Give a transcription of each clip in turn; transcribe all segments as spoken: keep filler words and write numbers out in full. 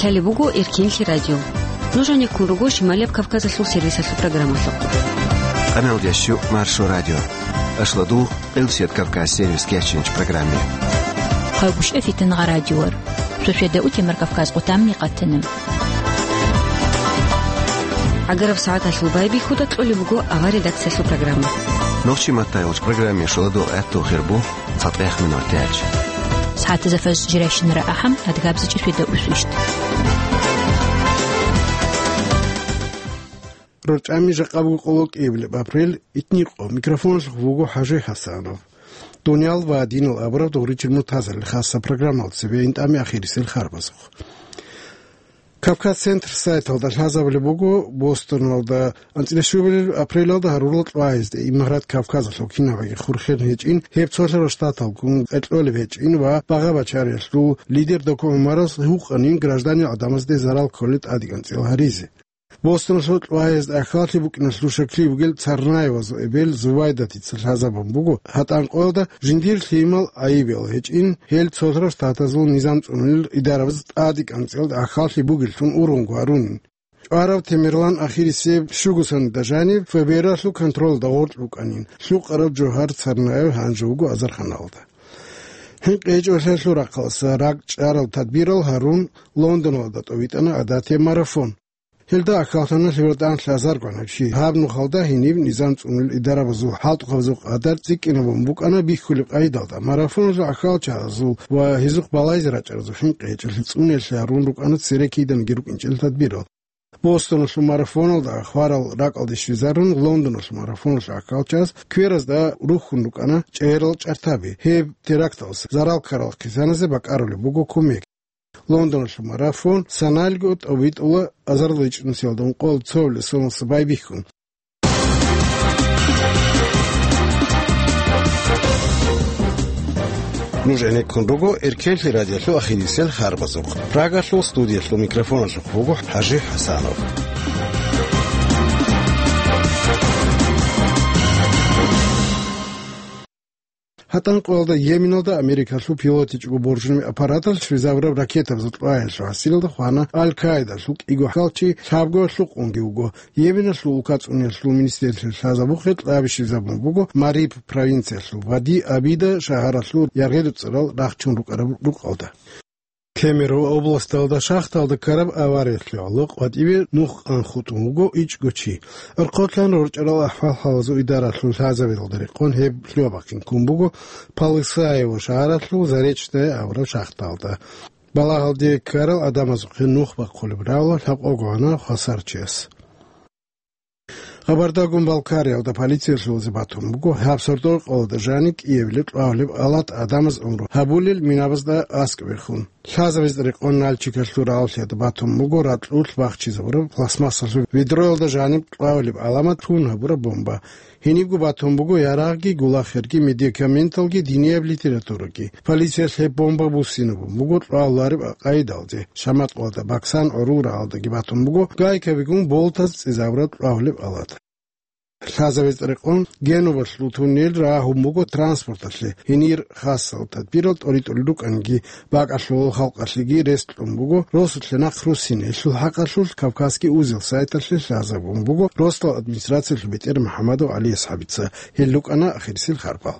Лъалеб буго Эркенлъи радио. Нуж гьанеккун руго Шималияб Кавказалъул сервисалъул программалъухъ. Къаналдящу Маршо радио. Ашладул Къилсият Кавказ сервис кечинч программе. Хъагушев Фитнагъа радиор. Сосиеда утемар Кавказ къутамни къатана. ГӀагараб сагӀаталъул байбихьуда кьолеб буго авар редакциялъул программа. Нохчи маттайгъуч программе шоладул гӀатту хирбу. ЦатӀех минуталъ. СагӀатазда фажр жирайщинара ахӀам, адгабзичӀи светда усвищ. РорчӀами жакъа буго къоло кӀиабилеб апрель, итникъо, микрофоналъухъ вуго ХӀажи ХӀасанов. Дуниял ва динал абураб дугъричил муртазарил хасса программал цебе интӀами ахирисел харбазухъ. Кавказ-центр сайталда лъазабулеб буго, Бостоналда анцӀила щуабилеб апрелалда гьарурал кьвагӀизде Имарат Кавказалъул кинабаги хурхен гьечӀин, гьеб цолъарал штаталгун кьолеб гьечӀин ва багъа-бачариялъул лидер Доку ГӀумарас гьукъанин гражданил гӀадамазде зарал кколел тӀадегӀанцӀила гьаризе. Бостоналъул кьвагӀизда ахьаллъи букӀиналъул щаклъи бугел Царнаевазул эбел Зувайдатица лъазабун буго, гьатӀан къоялда жиндир лъимал гӀайибиял гьечӀин, гьел цолъарал штатазул низам цӀунулел идарабаз тӀадегӀанцӀила ахьаллъи бугеллъун ургъунго гьарунин. ЧӀварав Темирлан ахирисеб щугусанида жаниб ФБР-алъул контролалда гъоркь букӀанин, лъукъараб Жогьар Царнаев гьанже вуго азарханалда. ХӀинкъи гьечӀолъиялъул рахъалъа ракӀчӀарал тадбирал гьарун Лондоналда тӀовитӀана гӀадатияб марафон. Гьелда ахьаллъана лъиватӀан лъазаргун гьаб чи. Гьаб нухалда гьениб низам цӀунулел идарабазул хӀалтӀухъабазул къадар цӀикӀкӀинабун букӀана бихьулеб къайдалда. Марафоналъул ахьалчагӀазул ва гьезухъ балайзе рачӀаразул хӀинкъи гьечӀолъи цӀуниялъе гьарун рукӀана цере киданиги рукӀинчӀел тадбирал. Бостоналъул марафоналда хварал ракӀалде щвезарун, Лондоналъул марафоналъул ахьалчагӀаз кверазда рухьун рукӀана чӀегӀерал чӀартаби. Гьеб теракталъ зарал ккарал хъисаназе бакӀарулеб буго кумек. Лондоналъул марафон саналго тӀовитӀула азарилчӀунсиялда ункъоялда цоабилеб соналъ байбихьун. Нуж гӀенеккун руго Эркенлъи радиолъул ахирисел харбазухъ. Прагалъул студиялъул микрофоналъухъ вуго ХӀажи ХӀасанов. ГьатӀан къоялда Йеменалда Америкалъул пилотичӀого боржунеб аппараталъ щвезабураб ракетабазул кьвагӀиялъул гьасилалда хвана Аль-Каидалъул кӀиго хьалчи, лъабго лъукъунги вуго. Йеменалъул улка цӀуниялъул министерствоялъ лъазабухъе кьаби щвезабун буго Мариб провинциялъул Вади Абида шагьаралъул Яргъеду цӀарал рахчун рукӀараб рукъалда. Кемерово областалда шахталда ккараб авариялъе гӀоло къватӀибе нух къан хутӀун вуго ичӀго чи. ГӀорхъотлъан рорчӀарал ахӀвал-хӀалазул идаралъул лъазабилалда рекъон гьеб лъугьа-бахъин ккун буго Полысаево шагьаралъул Заречное абураб шахталда. Балагьалде ккарал гӀадамазухъе нух бахъулеб равла лъабкъого гьана хвасарчияс. Къабардагун Балкариялда полициялъулзе батун буго гьаб сордо-къоялда жаниб кӀиабилеб кьвагьулеб алат гӀадамаз гӀумру гьабулел минабазда аскӀ бихьун. Лъазабиз рекъон Нальчикалъул рагӀаллъиялда батун буго ракьулъ бахчизабураб пластмассалъул ведроялда жаниб кьвагьулеб гӀаламат тун гьабураб бомба. Гьенибго батун буго ярагъги, гулахерги, медикаменталги, динияб литератураги. Полициялъ гьеб бомба буссинабун буго кьвагьулареб къайдалде. Шамат-къоялда Баксан гӀурул рагӀалдаги батун буго гайкабигун болтаз цӀезабураб кьвагьулеб алат. Лъазабиз рекъон Генувалъул туннел рагьун буго транспорталъе, гьенир хасал тадбирал тӀоритӀулел рукӀаниги, бакӀалъулал халкъалъеги рес кьун буго, росулъе нахъ руссинелъул хӀакъалъулъ Кавказский узел сайталъе лъазабун буго росдал администрациялъул бетӀер МухӀамадов ГӀали АсхӀабица. Гьел рукӀана ахирисел харпал.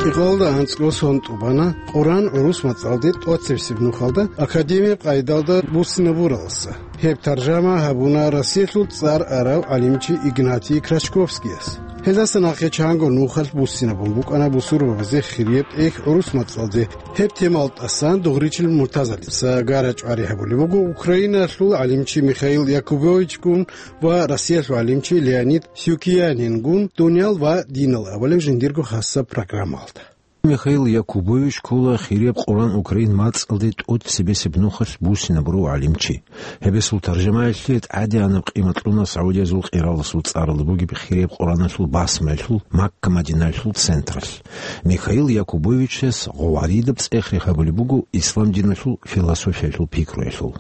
КӀикъоялда анцӀго сон тӀубана Къуръан гӀурус мацӀалде тӀоцебесеб нухалда академияб къайдалда буссинабураласа. Гьеб таржама гьабуна Россиялъул цӀар арав гӀалимчи Игнатий Крачковскияс. Гьелдаса нахъе чанго нухалъ буссинабун букӀана бусурбабазе хирияб тӀехь гӀурус мацӀалде. Гьеб темал тӀасан дугъричил муртазалица гара-чӀвари гьабулеб буго Украиналъул гӀалимчи Михаил Якубовичгун ва Россиялъул гӀалимчи Леонид Сюкиянингун дуниял ва динал абулеб жиндирго хасаб программалда. Михаил Якубович ккола хирияб Къуръан Украин мацӀалде тӀоцебесеб нухалъ буссинабурав гӀалимчи. Гьебесул таржамаялъе тӀадегӀанаб къимат кьуна Саудиязул къираласул цӀаралда бугеб хирияб Къуръаналъул басмаялъул Макка-Мадинаялъул централъ. Михаил Якубовичас гъовгӀаридаб цӀех рехабулеб буго ислам диналъул философиялъул пикруялъул.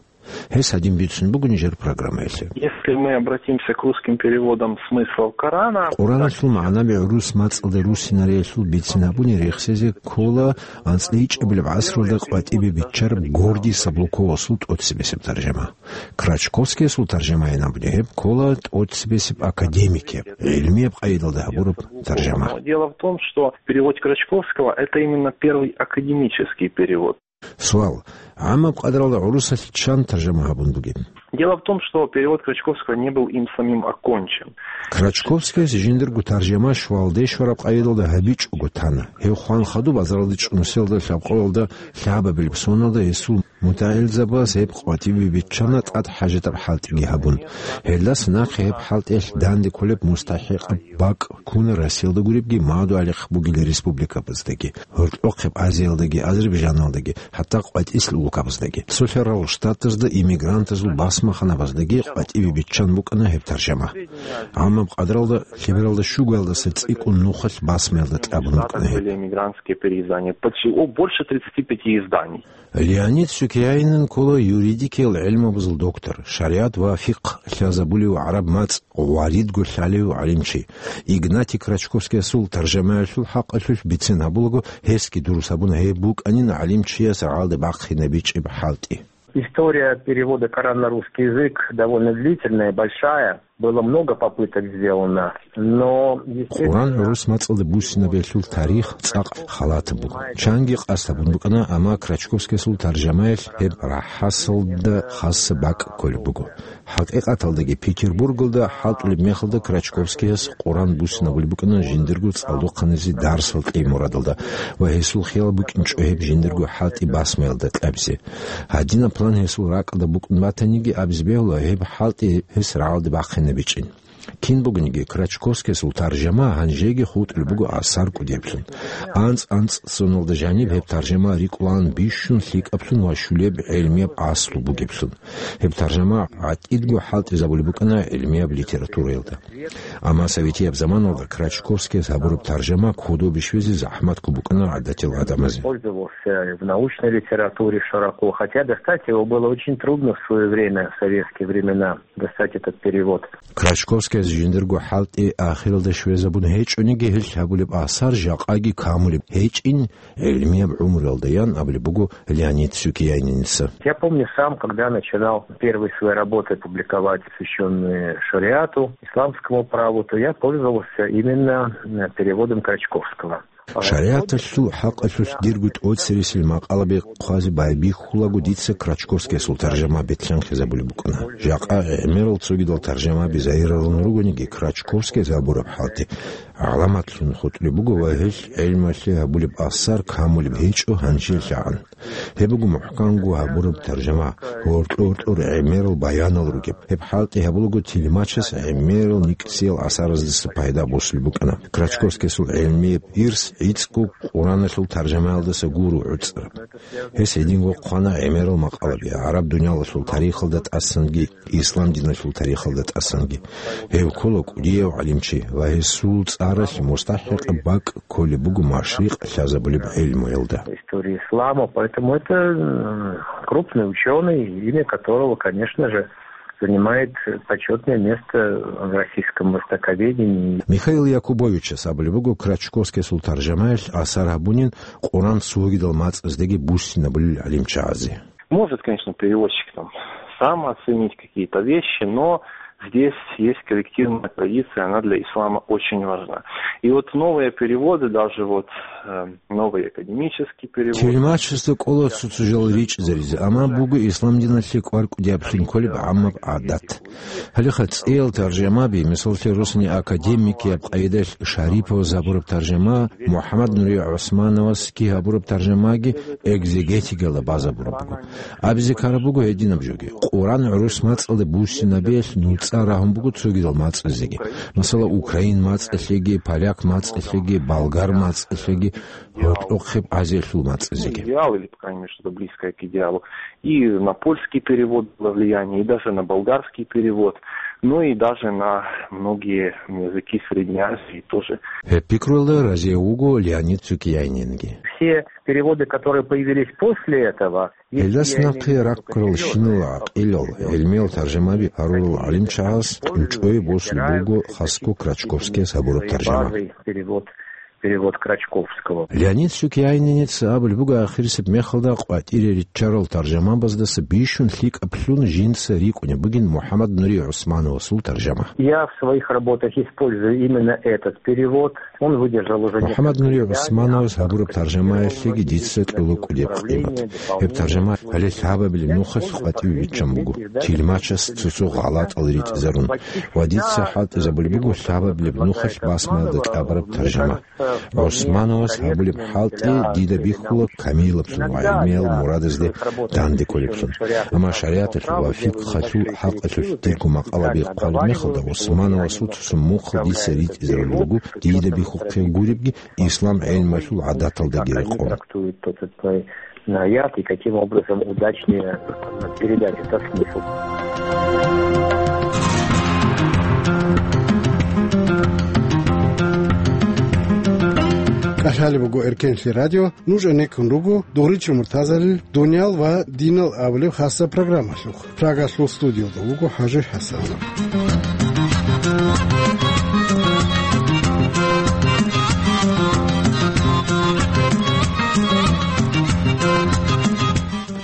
Гьес гьадин бицун буго нижер программаялъе. Если мы обратимся к русским переводам смыслов Корана, Къураналъул магӀнаби гӀурус мацӀалда руссинариялъул бицин гьабуни рехсезе ккола анцӀила ичӀабилеб гӀасралда къватӀибе биччараб Гордий Саблуковасул тӀоцебесеб таржама. Крачковскиясул таржамайин абуни гьеб ккола тӀоцебесеб академикияб, гӀилмияб къайдалда гьабураб таржама. Дело в том, что перевод Крачковского — это именно первый академический перевод. Суал. ГӀаммаб къадралда гӀурусалъе чан таржама гьабун бугеб? Дело в том, что перевод Крачковского не был им самим окончен. Крачковскияс жиндирго таржама щвалде щвараб къайдалда гьабичӀого тана. Гьев хван хадуб азаралде чӀунусиялда лъабкъоялда лъабабилеб соналда гьесул мутагӀилзабаз гьеб къватӀибе биччана тӀад хӀажатаб хӀалтӀиги гьабун. Гьелдаса нахъе гьеб хӀалтӀиялъ данде кколеб мустахӀикъаб бакӀ ккуна Россиялда гуребги, Мадугьалихъ бугел республикабаздаги, гьоркьохъеб Азиялдаги, Азербайджаналдаги, хӀатта къватӀислъ улкабаздаги. Цолъарал Штатазда иммигрантазул басмаханабаздаги къватӀибе биччан букӀана гьеб таржама. ГӀаммаб къадралда лъебералда щугоялдаса цӀикӀкӀун нухалъ басмаялда кьабун букӀана гьеб. Были эмигрантские переиздания. Почти, о, больше тридцати пяти изданий. Леонид Сюкьянинин ккола юридикиял гӀилмабазул доктор, шаригӀат ва фикъгь лъазабулев, гӀараб мацӀ гъваридго лъалев гӀалимчи. Игнатий Крачковскиясул таржамаялъул хӀакъалъулъ бицен гьабулаго, гьесги дурус гьабуна гьеб букӀанин гӀалимчияс рагӀалде бахъинабичӀеб хӀалтӀи. История перевода Корана на русский язык довольно длительная, большая. Было много попыток сделано, но, естественно, Къуран гӀурус мацӀалда буссинабиялъул тарих цӀакъ халатаб буго. Чанги къасд гьабун букӀана, амма Крачковскиясул таржамаялъ гьеб рахӀасалда хасаб бакӀ кколеб буго. ХӀакъикъаталдаги, Петербургалда хӀалтӀулеб мехалда Крачковскияс Къуран буссинабулеб букӀана жиндирго цӀалдохъанизе дарсал кьей мурадалда ва гьесул хиял букӀинчӀо гьеб жиндирго хӀалтӀи басмаялда кьабизе. Гьадинаб план гьесул ракӀалда букӀун батаниги, абизе бегьула, гьеб хӀалтӀи гьес рагӀалде бахъинабичӀин. Кин бугониги, Крачковскиясул таржама гьанжеги хутӀулеб буго асар кӀудияблъун. АнцӀ-анцӀ соналда жаниб гьеб таржама рикӀкӀулаан бищун лъикӀаблъун ва щулеб гӀелмияб аслу бугеблъун. Гьеб таржама гӀатӀидго хӀалтӀизабулеб букӀана гӀелмияб литератураялда. Амма советияб заманалда Крачковскияс гьабураб таржама кодобе щвезе захӀматго букӀана гӀадатиял гӀадамазе. Пользовался в научной литературе широко, хотя достать его было очень трудно в своё время, в советские времена, достать этот перевод. Крачковскияс жиндирго хӀалтӀи ахиралда щвезабун гьечӀониги, гьелъ гьабулеб асар жакъаги камулеб гьечӀин, гӀелмияб гӀумруялда, ян абулеб буго Леонид Сюкьяниница. Я помню сам, когда начинал первые свои работы публиковать, посвящённые шариату, исламскому праву, то я пользовался именно, э, переводом Крачковского. ШаригӀаталъул хӀакъалъулъ дирго тӀоцересел макъалаби хъвазе байбихьулаго дица Крачковскиясул таржама бетӀлъанхъизабулеб букӀана. Жакъа гӀемерал цогидал таржамаби загьирарун ругониги, Крачковскияс гьабураб хӀалтӀи гӀаламатлъун хутӀулеб буго ва гьелъ гӀелмалъе гьабулеб асар камулеб гьечӀо гьанжелъагӀан. Гьеб буго мухӀканго гьабураб таржама, гьоркьор-гьоркьор гӀемерал баянал ругеб. Гьеб хӀалтӀи гьабулаго тилмачас гӀемерал никӀсиял асараздаса пайда босулеб букӀана. Крачковскиясул гӀелмияб ирс гӀицӀго Къураналъул таржамаялдаса гуро гӀуцӀараб. Гьес гьединго хъвана гӀемерал макъалаби, гӀараб дуниялалъул тарихалда тӀасанги, ислам диналъул тарихалда тӀасанги. Гьев ккола кӀудияв гӀалимчи ва гьесул цӀаралъ мустахӀикъаб бакӀ кколеб буго машрикъ лъазабулеб гӀелмуялда. Истории ислама, поэтому это, м, крупный учёный, имя которого, конечно же, занимает почётное место в российском востоковедении. Михаил Якубовичас абулеб буго Крачковскиясул таржамаялъ асар гьабунин Къуран цогидал мацӀаздеги буссинабулел гӀалимчагӀазе. Может, конечно, переводчик там сам оценить какие-то вещи, но здесь есть коллективная традиция, она для ислама очень важна. И вот новые переводы, даже вот, э, новый академический перевод. Тилмачасда кӀола цо-цо жал ричӀзаризе, амма буго ислам диналъе кӀвар кӀудияблъун кколеб гӀаммаб гӀадат. Гьалеха цӀеял таржамаби, мисаллъе, росани академикияб къайдаялъ Шариповас гьабураб таржама, МухӀаммад Нури ГӀусмановасги гьабураб таржамаги экзегетикалда базабураб буго. Абизе ккараб буго гьединаб жоги. Къуран гӀурус мацӀалда буссинабиялъ нуцӀа рагьун буго цогидал мацӀазеги. Масала, украин мацӀалъеги, поляк мацӀалъеги, болгар мацӀалъеги, гьоркьохъеб Азиялъул мацӀазеги. Идеал или, по крайней мере, что-то близкое к идеалу. И на польский перевод было влияние, и даже на болгарский перевод. Ну и даже на многие языки Средней Азии тоже. Гьеб пикруялда разияв вуго Леонид Сукьянинги. Все переводы, которые появились после этого, если Гьелдас я имею в нахъе виду раккарал перевёды, щинал гӀакъилал, гӀилмиял таржамаби гьарурал гӀалимчагӀаз кӀунчӀое босулеб буго хасго Крачковскияс гьабураб таржама. Базой перевод, перевод Крачковского. Леонид Сукьянинец абулеб буго, ахирисеб мехалда къватӀире риччарал таржамабаздаса бищун лъикӀаблъун жинца рикӀкӀунеб бугин МухӀаммад Нури ГӀусмановасул таржама. Я в своих работах использую именно этот перевод. Он выдержал уже несколько изданий. МухӀаммад Нури ГӀусмановас гьабураб таржамаялъеги дица кьола кӀудеб къимат. Гьеб таржама гьале лъабабилеб нухалъ къватӀиве биччан буго, тилмачас цо-цо гъалатӀал ритӀизарун, ва дица хӀалтӀизабулеб буго лъабабилеб нухалъ басмаялда кьабараб таржама. ГӀусмановас гьабулеб хӀалтӀи дида бихьула камилаблъун ва гӀилмиял мурадазде данде кколеблъун. Амма шаригӀаталъул ва фикъгьалъул хӀакъалъулъ дирго макъалаби хъвалеб мехалда, ГӀусмановасул цо-цо мухъал дица ритӀизарулел руго, дида бихьухъе гуребги, ислам гӀелмалъул гӀадаталдаги рекъон. Трактует тот или иной аят и каким образом удачнее передать этот смысл. КӀалъалеб буго Эркенлъи радио, нуж гӀенеккун руго Дугъричи Муртазалил «Дуниял ва динал» абулеб хасаб программалъухъ. Прагалъул студиялда вуго ХӀажи ХӀасанов.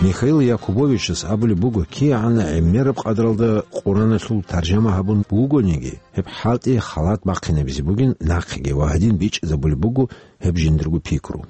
Михаил Якубовичас абулеб буго, кигӀан гӀемераб къадралда Къураналъул таржама гьабун бугониги, гьеб хӀалтӀи халат бахъинабизе бугин нахъеги ва гьадин бичӀчӀизабулеб буго гьеб жиндирго пикру.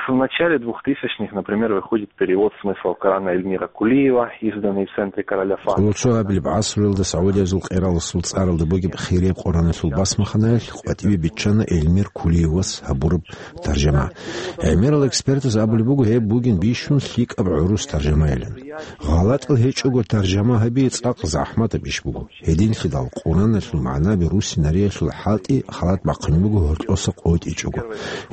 В начале двухтысячных, например, выходит перевод «Смысл Корана» Эльмира Кулиева, изданный в центре короля Фахда. Цо абилеб гӀасруялда Саудиязул къераласул цӀаралда бугеб хирияб Къураналъул басмаханаялъ къватӀиве биччана Эльмир Кулиевас гьабураб таржама. ГӀемерал экспертаз абулеб буго, гьеб бугин бищун лъикӀаб гӀурус таржамайилан. ГъалатӀал гьечӀого таржама гьаби цӀакъ захӀматаб иш буго. Гьединлъидал Къураналъул магӀнаби русинариялъул хӀалтӀи халат бахъунеб буго гьоркьоса къотӀичӀого.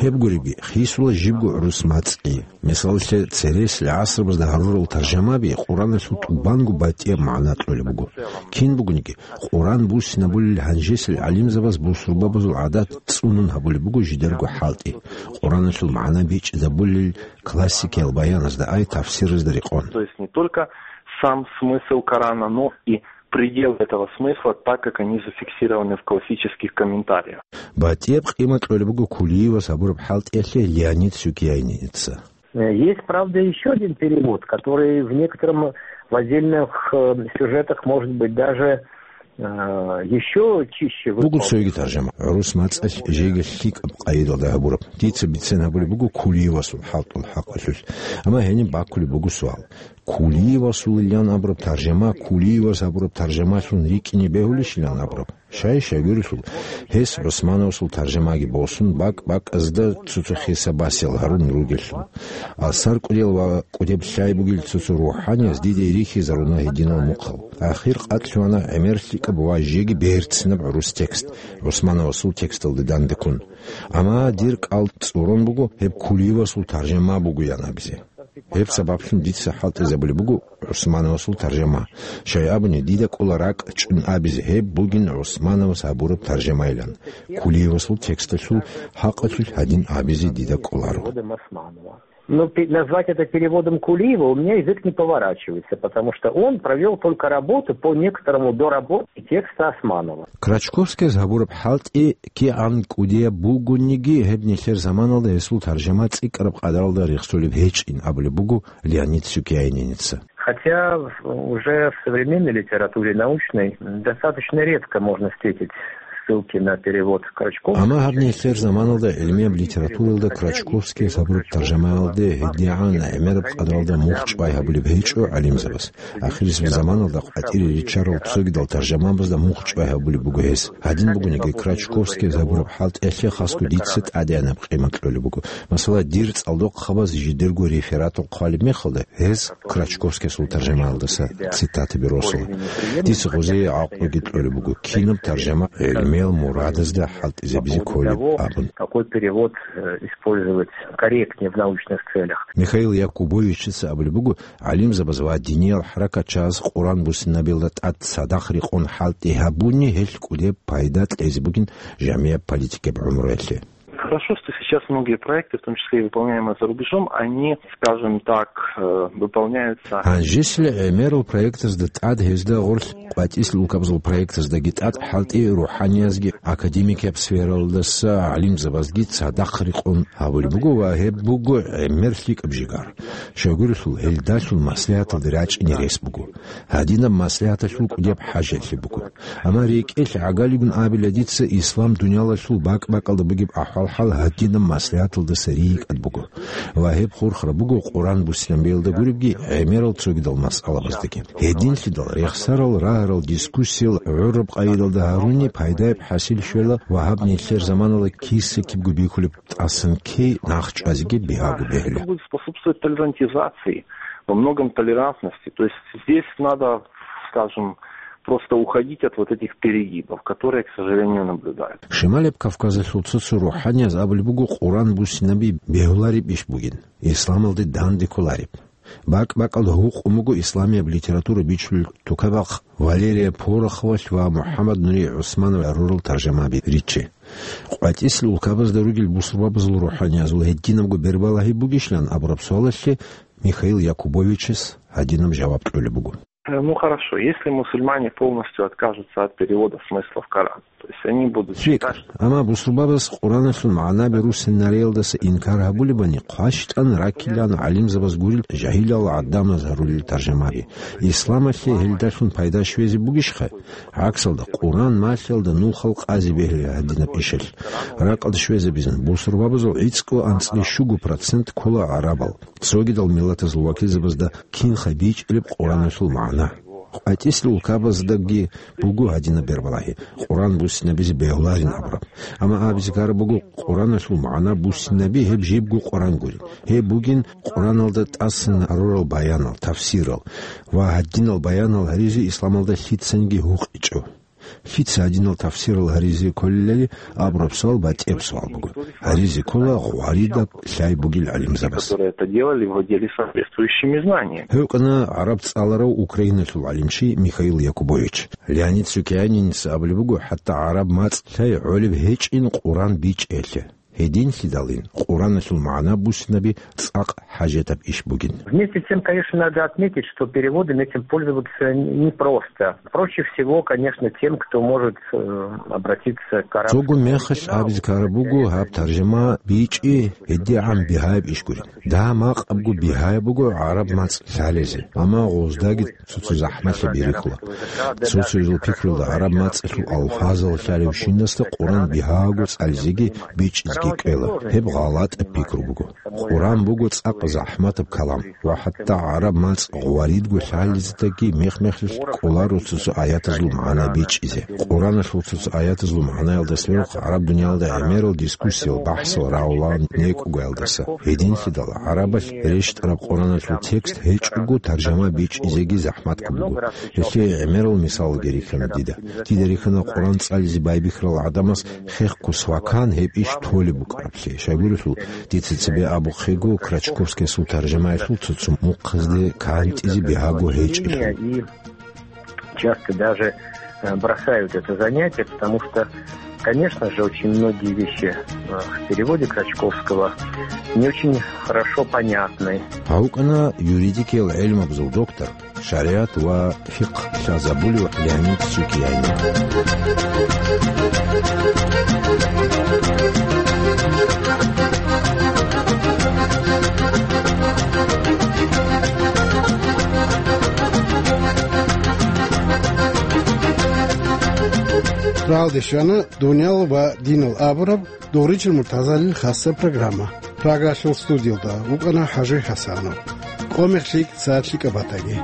Гьеб гуребги, хисула жибго гӀурус мацӀги. Мисалалъе, цересел гӀасрабазда гьарурал таржамаби Къураналъул тӀубанго батӀияб магӀна кьолеб буго. Кин бугониги, Къуран буссинабулел гьанжесел гӀалимзабаз бусурбабазул гӀадат цӀунун гьабулеб буго жидерго хӀалтӀи. Къураналъул магӀна бичӀчӀизабулел классикиял баяназда ай тафсиразда рекъон. То есть не только сам смысл Корана, но и пределы этого смысла, так как они зафиксированы в классических комментариях. БатӀияб къимат кьолеб буго Кулиевас гьабураб хӀалтӀиялъе Леонид Сукьянинеца. Э, есть, правда, ещё один перевод, который в некотором, в отдельных, э, сюжетах, может быть, даже, э, ещё чище выполнен. Буго цоги таржама, гӀурус мацӀалъ жеги лъикӀаб къайдалда гьабураб. Дица бицен гьабулеб буго Кулиевасул хӀалтӀул хӀакъалъулъ. Амма гьениб баккулеб буго суал. Кулиевасулилан абураб таржама, Кулиевас абураб таржамалъун рикӀкӀине бегьулищилан абураб? Щай-щай гурелъул, гьес ГӀусмановасул таржамаги босун, бакӀ-бакӀазда цо-цо хиса-басиял гьарун ругелъул. Асар кӀудиял ва кӀудеб лъай бугел цо-цо рухӀаниязда дида рихьизаруна гьединал мухъал. Ахир къатӀлъугьана гӀемер лъикӀаб ва жеги берцинаб гӀурус текст, ГӀусмановасул тексталда дандеккун. Амма дир кӀал цӀурун буго, гьеб Кулиевасул таржама бугоян абизе. Гьеб сабаблъун дица хӀалтӀизабулеб буго ГӀусмановасул таржама. Щай абуни, дида кӀола ракӀчӀун абизе гьеб бугин ГӀусмановас гьабураб таржамайилан, Кулиевасул тексталъул хӀакъалъулъ гьадин абизе дида кӀоларо. Ну, пе-, назвать это переводом Кулиева у меня язык не поворачивается, потому что он провёл только работу по некоторому доработке текста Османова. Крачковскияс гьабураб хӀалтӀи кигӀан кӀудияб бугониги, гьеб нилъер заманалда гьесул таржама цӀикӀкӀараб къадаралда рехсолеб гьечӀин абулеб буго Леонид Сукьянинеца. Хотя уже в современной литературе научной достаточно редко можно встретить ссылки на перевод Крачковского. Амма гьаб нилъер заманалда гӀилмияб литературалда Крачковскияс гьабураб таржамаялде гьедигӀан гӀемераб къадралда мухь чӀвай гьабулеб гьечӀо гӀалимзабаз. Ахирисеб заманалда къватӀире риччарал цогидал таржамабазда мухь чӀвай гьабулеб буго гьес. Гьадин бугониги, Крачковскияс гьабураб хӀалтӀиялъе хасго дица тӀадегӀанаб къимат кьолеб буго. Масала, дир цӀалдохъабаз жидерго рефератал хъвалеб мехалда, гьез Крачковскиясул таржамаялдаса цитатаби росула. Дица гъозие гӀакълуги кьолеб буго, кинаб таржама гӀелме гьел мурадазда хӀалтӀизабизе кколеб абун. Какой перевод, э, использовать корректнее в научных целях? Михаил Якубовичица абулеб буго, гӀалимзабаз ва диниял хӀаракатчияз Къуран буссинабилда тӀад цадахъ рекъон хӀалтӀи гьабуни, гьелъ кӀудеб пайда кьезе бугин жамияб политикияб гӀумруялъе. Хорошо, что сейчас многие проекты, в том числе и выполняемые за рубежом, они, скажем так, э, выполняются. Гьанжеси гӀемерал проектазда тӀад гьезда гъорлъ къватӀисел улкабазул проектаздаги тӀад хӀалтӀи рухӀаниязги академикияб сфералдаса гӀалимзабазги цадахъ рекъон гьабулеб буго ва гьеб буго гӀемер лъикӀаб жигар. Щайгурелъул гьелдалъун маслигӀаталде рачӀине рес буго. Гьадинаб маслигӀаталъул кӀудияб хӀажалъи буго. Амма рекӀелъ гӀагалигун абила дица, ислам дуниялалъул бакӀ-бакӀалда бугеб ахӀвал-хӀал гьадинаб маслигӀаталдаса рикӀкӀад буго. Ва гьеб хурхараб буго Къуран буссинабиялда гуребги гӀемерал цогидал масъалабаздаги. Гьединлъидал рехсарал рагьарал дискуссиял гӀураб къайдалда гьаруни пайдаяб хӀасил щвела ва гьаб нилъер заманала киса-кибго бихьулеб тӀасан ккей нахчӀвазеги бигьаго бегьула. Это будет способствовать толерантизации, во многом толерантности. То есть здесь надо, скажем, просто уходить от вот этих перегибов, которые, к сожалению, наблюдаются. Шималеб Кавказалъул цо-цо рухӀанияз абулеб буго Къуран буссинаби бегьулареб иш бугин, исламалде данде кколареб. БакӀ-бакӀалда гьукъун буго исламияб литература бичулел тукабахъ Валерия Пороховалъ ва МухӀаммад Нури ГӀусманов гӀурал таржамаби риччи. КъватӀисел улкабазда ругел бусурбабазул рухӀаниязул гьединабго бербалагьи бугищилан абураб суалалъе Михаил Якубовичас гьадинаб жаваб кьолеб буго. Э, ну, хорошо, если мусульмане полностью откажутся от перевода смыслов Корана, то есть они будут считать, что... ЛъикӀ, амма бусурбабаз Къураналъул магӀнаби руссинариялдаса инкар гьабулебани, хъващтӀан раккилан гӀалимзабаз гурел жагьилал гӀадамаз гьарулел таржамаби. Исламалъе гьелдалъун пайда щвезе бугищха? ГӀаксалда, Къуран малъиялда нухал къазе бегьила гьадинаб ишалъ. Ракъалда щвезабизан, бусурбабазул гӀицӀго анцӀила щуго процент ккола гӀарабал. Цогидал миллатазул вакилзабазда кинха бичӀчӀилеб Къураналъул магӀна. КъватӀисел улкабаздаги буго гьадинаб бербалагьи, Къуран буссинабизе бегьуларин абураб. Амма абизе ккараб буго, Къураналъул магӀна буссинаби гьеб жибго Къуран гурин. Гьеб бугин Къураналда тӀасан гьарурал баянал, тафсирал ва гьадинал баянал гьаризе исламалда лъицаниги гьукъичӀо. Лъица гьадинал тафсирал гьаризе кколелали абураб суал батӀияб суал буго. Гьаризе ккола гъваридаб лъай бугел гӀалимзабаз. Которые это делали, владели соответствующими знаниями. Гьев вукӀана гӀараб цӀаларав Украиналъул гӀалимчи Михаил Якубович. Леонид Сукьяниница абулеб буго, хӀатта гӀараб мацӀ лъай гӀолеб гьечӀин Къуран бичӀчӀиялъе. Гьединлъидалин, Къураналъул магӀна буссинаби цӀакъ хӀажатаб иш бугин. Вместе с тем, конечно, надо отметить, что переводами этим пользоваться непросто. Проще всего, конечно, тем, кто может, э, обратиться к арабскому оригиналу. Цого мехалъ абизе ккараб буго, гьаб таржама бичӀчӀи гьедигӀан бигьаяб иш гурин. Дагьа-макъабго бигьаяб буго гӀараб мацӀ лъалезе, амма гъоздаги цо-цо захӀмалъи бирихьула. Цо-цоязул пикруялда гӀараб мацӀалъул алфазал лъалевщинасда Къуран бигьаго цӀализеги бичӀчӀизеги кӀвела. Гьеб гъалатӀаб пикру буго. Къуран буго цӀакъ захӀматаб калам ва хӀатта гӀараб мацӀ гъваридго лъалездаги мех-мехалъ кӀоларо цо-цо аятазул магӀна бичӀчӀизе. Къураналъул цо-цо аятазул магӀнаялдаса гӀараб дуниялда гӀемерал дискуссиял, бахӀсал рагӀулаан некӀугаялдаса. Гьединлъидал гӀарабалъ рещтӀараб Къураналъул текст гьечӀого таржама бичӀчӀизеги захӀматго буго. Гьелъие гӀемерал мисалги рихьана дида. Дида рихьана Къуран цӀализе байбихьарал гӀадамаз хехго свакан гьеб иш толеб букӀараблъи. Щайгурелъул, дица цебе абухъего Крачковскиясул таржамаялъул цо-цо мухъазде кантӀизе бигьаго гьечӀелъул. Часто даже, э, бросают это занятие, потому что, конечно же, очень многие вещи, э, в переводе Крачковского не очень хорошо понятны. Гьав вукӀана юридикиял гӀелмабазул доктор, шаригӀат ва фикъгь лъазабулев Леонид Сукьянин. Рагьалде щвана «Дуниял ва динал» абураб Дугъричил муртазалил хасаб программа. Прагалъул студиялда вукӀана ХӀажи ХӀасанов. Къо-мех лъикӀ, сагӀат лъикӀаб батаги.